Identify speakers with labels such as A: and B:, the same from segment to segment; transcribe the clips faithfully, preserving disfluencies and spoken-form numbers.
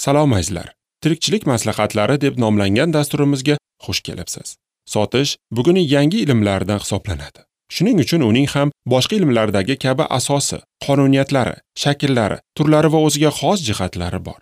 A: Salom azizlar. Tirikchilik maslahatlari deb nomlangan dasturimizga xush kelibsiz. Sotish bugunning yangi ilmlaridan hisoblanadi. Shuning uchun uning ham boshqa ilmlardagi kabi asosi, qonuniyatlari, shakllari, turlari va o'ziga xos jihatlari bor.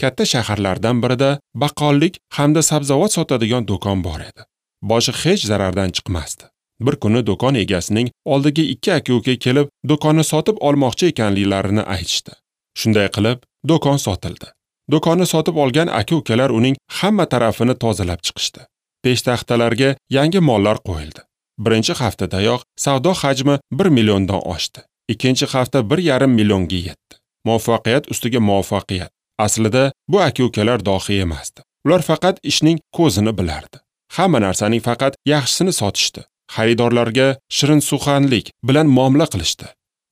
A: Katta shaharlardan birida baqqollik hamda sabzavot sotadigan do'kon bor edi. Boshi hech zarardan chiqmasdi. Bir kuni do'kon egasining oldiga ikki aka-uka kelib, do'konni sotib olmoqchi ekanliklarini aytishdi. Shunday qilib, do'kon sotildi. Do'konni sotib olgan aka-ukalar uning hamma tarafini tozalab chiqishdi. Peshtaxtalarga yangi mollar qo'yildi. Birinchi haftadayoq savdo hajmi bir milliondan oshdi. Ikkinchi hafta bir yarim millionga yetdi. Muvaffaqiyat ustiga muvaffaqiyat. Aslida bu aka-ukalar dohiy emasdi. Ular faqat ishning ko'zini bilardi. Hamma narsaning faqat yaxshisini sotishdi. Xaridorlarga shirinsuxanlik bilan muomala qilishdi.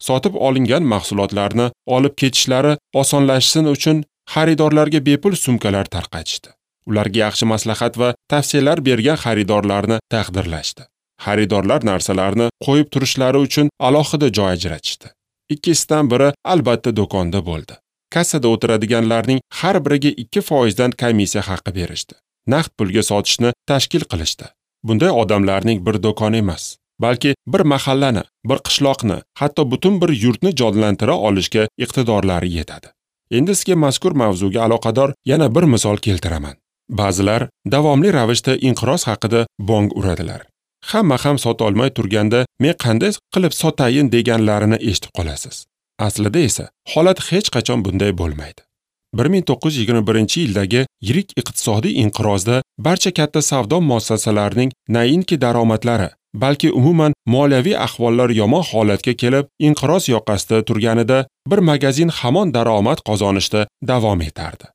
A: Sotib olingan mahsulotlarni olib ketishlari osonlashsin uchun xaridorlarga bepul sumkalar tarqatishdi. Ularga yaxshi maslahat va tavsiyalar bergan xaridorlarni taqdirlashdi. Xaridorlar narsalarni qo'yib turishlari uchun alohida joy ajratishdi. Ikkisidan biri albatta do'konda bo'ldi. Kassada o'tiradiganlarning har biriga ikki foizdan komissiya haqi berishdi. Naqd pulga sotishni tashkil qilishdi. Bunday odamlarning bir do'kon emas, balki bir mahallani, bir qishloqni, hatto butun bir yurtni jonlantira olishga iqtidorlari yetadi. Endi sizga mazkur mavzuga aloqador yana bir misol keltiraman. Ba'zilar davomli ravishda inqiroz haqida bong uradilar. Hamma ham sota olmay turganda men qanday qilib sotayin deganlarini eshitib qolasiz. Aslida esa holat hech qachon bunday bo'lmaydi. bir ming to'qqiz yuz yigirma birinchi yildagi yirik iqtisodiy inqirozda barcha katta savdo muassasalarining nainki daromadlari, balki umuman moliyaviy ahvollar yomon holatga kelib, inqiroz yoqasida turganida bir magazin hamon daromad qozonishda davom etardi.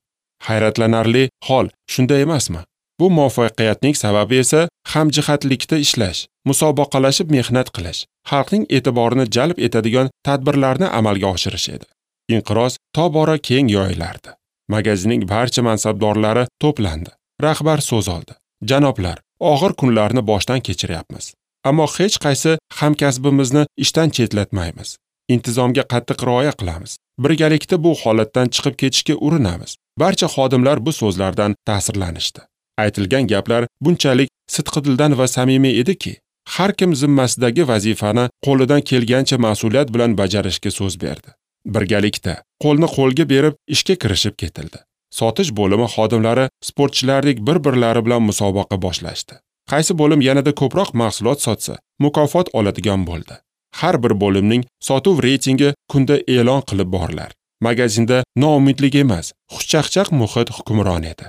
A: Hayratlanarli hol shunday emasmi? Bu muvaffaqiyatning sababi esa hamjihatlikda ishlash, musobaqalashib mehnat qilish, xalqning e'tiborini jalb etadigan tadbirlarni amalga oshirish edi. Inqiroz tobora keng yoyilardi. Magazinning barcha mansabdorlari to'plandi. Rahbar so'z oldi. Janoblar, og'ir kunlarni boshdan kechiryapmiz. Ammo hech qaysi hamkasbimizni ishdan chetlatmaymiz. Intizomga qattiq rioya qilamiz. Birgalikda bu holatdan chiqib ketishga urinamiz. Barcha xodimlar bu so'zlardan ta'sirlanishdi. Aytilgan gaplar bunchalik sidqidildan va samimiy ediki, har kim zimmasidagi vazifani qo'lidan kelgancha mas'uliyat bilan bajarishga so'z berdi. Birgalikda qo'lni qo'lga berib ishga kirishib ketildi. Sotish bo'limi xodimlari sportchilardek bir-birlari bilan musobaqa boshlashdi. Qaysi bo'lim yanada ko'proq mahsulot sotsa, mukofot oladigan bo'ldi. Har bir bo'limning sotuv reytingi kunda e'lon qilib borilar. Magazinda noumidlik emas, xushchaqchaq muhit hukmron edi.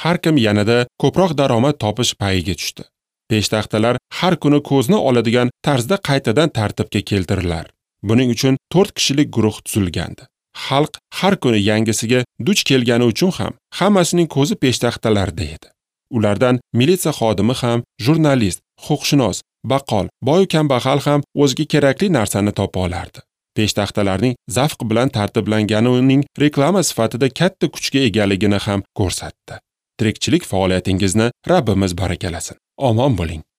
A: Har kim yanada ko'proq daromad topish payiga tushdi. Peshtaxtalar har kuni ko'zni oladigan tarzda qaytadan tartibga keltirilar. Buning uchun to'rt kishilik guruh tuzilgandi. Xalq har kuni yangisiga duch kelgani uchun ham hammasining ko'zi peshtaxtalarda edi. Ulardan militsiya xodimi ham, jurnalist, huquqshunos, baqqol, boy kambag'al ham o'ziga kerakli narsani topa olardi. Peshtaxtalarning zavq bilan tartiblangani uning reklama sifatida katta kuchga egaligini ham ko'rsatdi. Tirikchilik faoliyatingizni Rabbimiz barakalasin. Omon bo'ling.